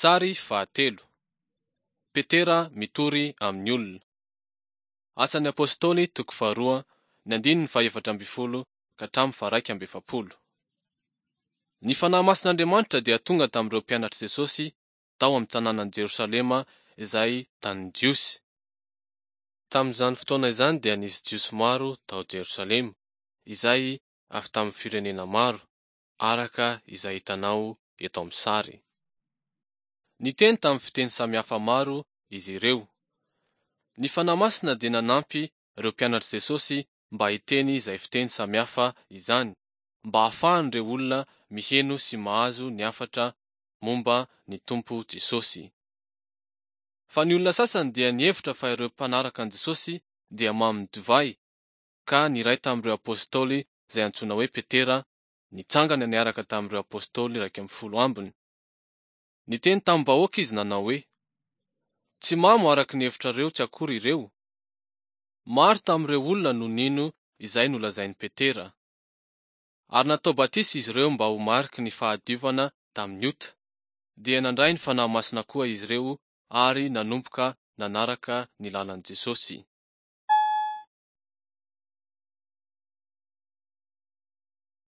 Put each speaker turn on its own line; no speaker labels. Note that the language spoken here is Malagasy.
Sary fahatelo. Petera mitory amin'ny olona. Asan'ny Apostoly toko faharoa ny andininy fahefatra ambin'ny folo ka hatramin'ny faharaika amby efapolo. Ny Fanahy Masin'Andriamanitra dia tonga tamin'ireo mpianatr'i Jesosy tao amin'ny tanànan'i Jerosalema izay tanin'ny Jiosy. Tamin'izany fotoana izany dia nisy Jiosy maro tao Jerosalema, izay avy tamin'ny firenena maro, araka izay hitanao eto amin'ny sary. Niteny tamin'ny fiteny samihafa maro izy ireo. Ny Fanahy Masina dia nanampy ireo mpianatr'i Jesosy mba hiteny izay fiteny samihafa izany, mba hahafahan'ireo olona miheno sy mahazo ny hafatra momba ny Tompo Jesosy. Fa ny olona sasany dia nihevitra fa ireo mpanaraka an'i Jesosy dia mamin'ny divay, ka ny iray tamin'ireo apostoly izay antsoina hoe Petera nitsangana niaraka tamin'ireo apostoly 11 ambiny. Niteny tamin'ny vahoaka izy nanao hoe, Tsy mamo araka ny hevitrareo tsy akory ireo. Maro tamin'ireo olona no nino izay nolazain'i Petera. Ary natao batisa izy ireo mba ho mariky ny fahadiovana tamin'ny ota. Dia nandray ny Fanahy Masina koa izy ireo ary nanomboka nanaraka ny lalan'i Jesosy.